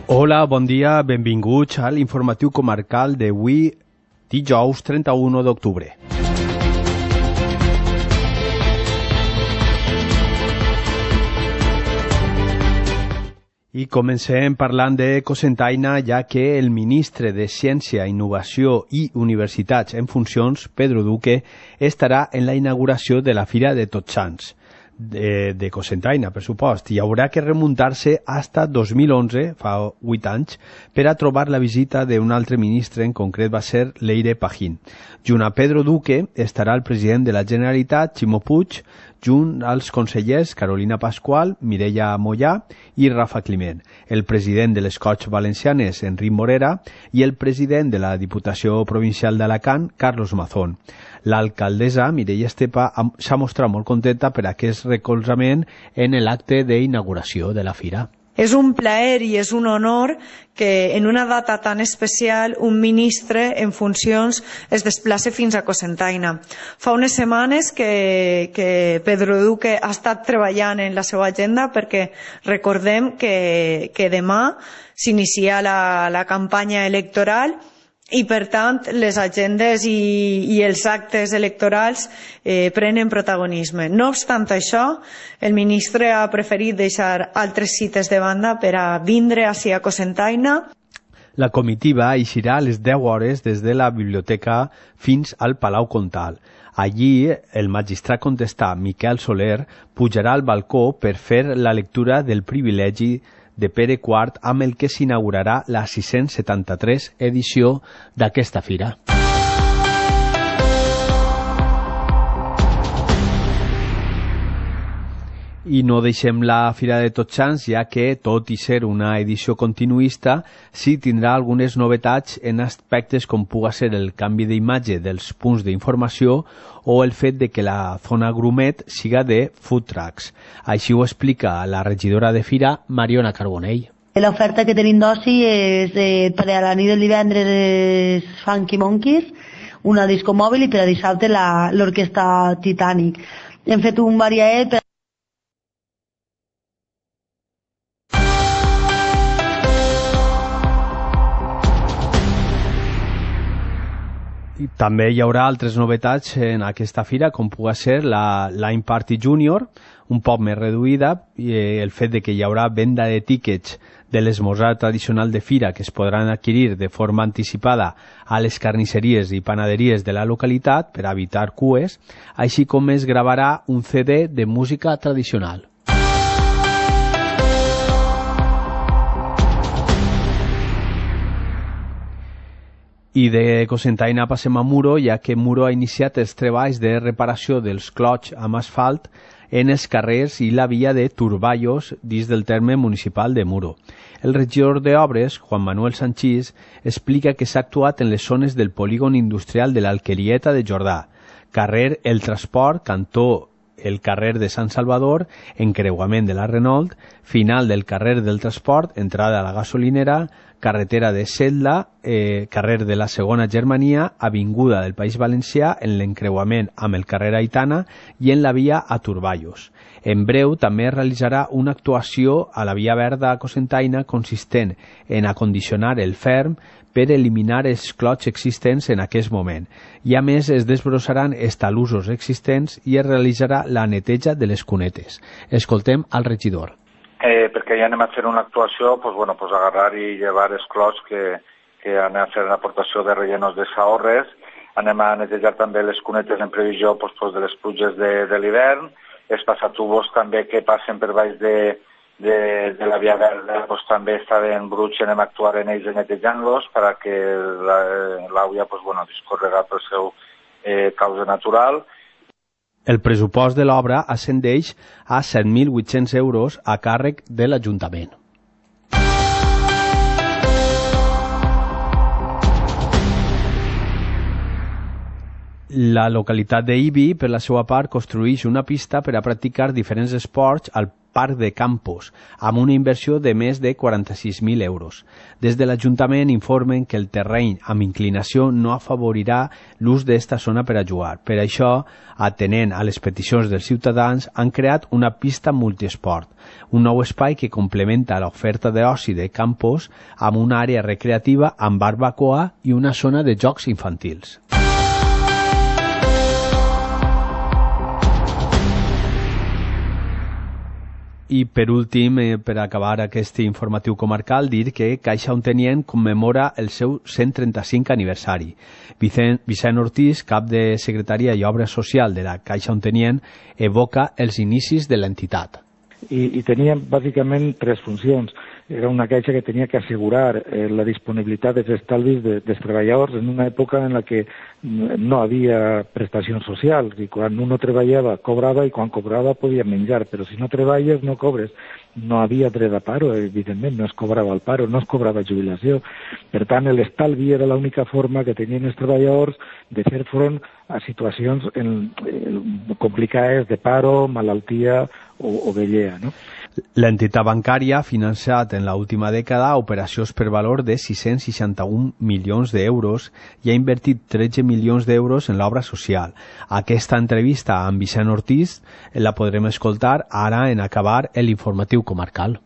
Hola, bon dia, benvinguts a l'informatiu comarcal d'avui, dijous 31 d'octubre. I comencem parlant de Cocentaina, ja que el ministre de Ciència, Innovació i Universitats en funcions, Pedro Duque, estarà en la inauguració de la Fira de Tots Sants de Cocentaina, per supost, i haurà que remuntar-se hasta 2011, fa 8 anys, per a trobar la visita d'un altre ministre, en concret va ser Leire Pajín. Junt a Pedro Duque estarà el president de la Generalitat, Ximo Puig, junt als consellers Carolina Pascual, Mireia Mollà i Rafa Climent, el president de les Corts Valencianes, Enric Morera, i el president de la Diputació Provincial d'Alacant, Carlos Mazón. L'alcaldessa, Mireia Estepa, s'ha mostrat molt contenta per aquest recolzament en l'acte d'inauguració de la fira. És un plaer i és un honor que en una data tan especial un ministre en funcions es desplaci fins a Cocentaina. Fa unes setmanes que Pedro Duque ha estat treballant en la seva agenda perquè recordem que demà s'inicia la campanya electoral i, per tant, les agendes i els actes electorals prenen protagonisme. No obstant això, el ministre ha preferit deixar altres cites de banda per a vindre a Cocentaina. La comitiva eixirà a les 10 hores des de la biblioteca fins al Palau Comtal. Allí, el magistrat contestar, Miquel Soler, pujarà al balcó per fer la lectura del privilegi de Pere IV, amb el que s'inaugurarà la 673 edició d'aquesta fira. I no deixem la Fira de Tots Sants, ja que, tot i ser una edició continuista, sí tindrà algunes novetats en aspectes com puga ser el canvi d'imatge dels punts d'informació o el fet de que la zona grumet siga de food trucks. Així ho explica la regidora de Fira, Mariona Carbonell. L'oferta que tenim d'oci és per a la nit del divendres Funky Monkeys, una disco mòbil, i per a dissabte l'orquestra Titanic. Hem fet un variet per També hi haurà altres novetats en aquesta fira, com pugui ser la Line Party Junior, un poc més reduïda, i el fet de que hi haurà venda de tíquets de l'esmorzar tradicional de fira que es podran adquirir de forma anticipada a les carnisseries i panaderies de la localitat per evitar cues, així com es gravarà un CD de música tradicional. I de Cocentaina passem a Muro, ja que Muro ha iniciat els treballs de reparació dels clots amb asfalt en els carrers i la via de Turballos dins del terme municipal de Muro. El regidor d'Obres, Juan Manuel Sanchís, explica que s'ha actuat en les zones del polígon industrial de l'Alquerieta de Jordà, carrer El Transport, cantó el carrer de Sant Salvador, encreuament de la Renault, final del carrer del Transport, entrada a la gasolinera, carretera de Setla, carrer de la Segona Germania, avinguda del País Valencià, en l'encreuament amb el carrer Aitana i en la via a Turballos. En breu també es realitzarà una actuació a la via verda a Cocentaina consistent en acondicionar el ferm per eliminar els clots existents en aquest moment. I a més es desbrossaran els talussos existents i es realitzarà la neteja de les cunetes. Escoltem al regidor. Perquè ja anem a fer una actuació, agarrar i llevar els clots que anem a fer una aportació de rellenos de saorres, anem a netejar també les cunetes en previsió de les pluges de l'hivern, els passatubos també que passen per baix de la via verda també estaven bruts i anem a actuar en ells netejant-los perquè l'aigua discorrerà pel seu causa natural. El pressupost de l'obra ascendeix a 7.800 euros a càrrec de l'Ajuntament. La localitat d'Ibi, per la seva part, construeix una pista per a practicar diferents esports al Parc de Campos, amb una inversió de més de 46.000 euros. Des de l'Ajuntament informen que el terreny amb inclinació no afavorirà l'ús d'esta zona per a jugar. Per això, atenent a les peticions dels ciutadans, han creat una pista multiesport, un nou espai que complementa l'oferta d'oci de Campos amb una àrea recreativa amb barbacoa i una zona de jocs infantils. I per últim, per acabar aquest informatiu comarcal, dir que Caixa Ontenient commemora el seu 135 aniversari. Vicent Ortiz, cap de Secretaria i Obra Social de la Caixa Ontenient, evoca els inicis de l'entitat. I tenia bàsicament tres funcions. Era una caixa que tenia que assegurar la disponibilitat dels estalvis dels treballadors en una època en la que no havia prestacions socials i quan uno treballava cobrava i quan cobrava podia menjar, però si no treballes no cobres. No havia dret a paro, evidentment, no es cobrava el paro, no es cobrava jubilació. Per tant, l'estalvi era l'única forma que tenien els treballadors de fer front a situacions complicades de paro, malaltia o vellea, no? L'entitat bancària ha financiat en l'última dècada operacions per valor de 661 milions d'euros i ha invertit 13 milions d'euros en l'obra social. Aquesta entrevista amb Vicent Ortiz la podrem escoltar ara en acabar l'informatiu comarcal.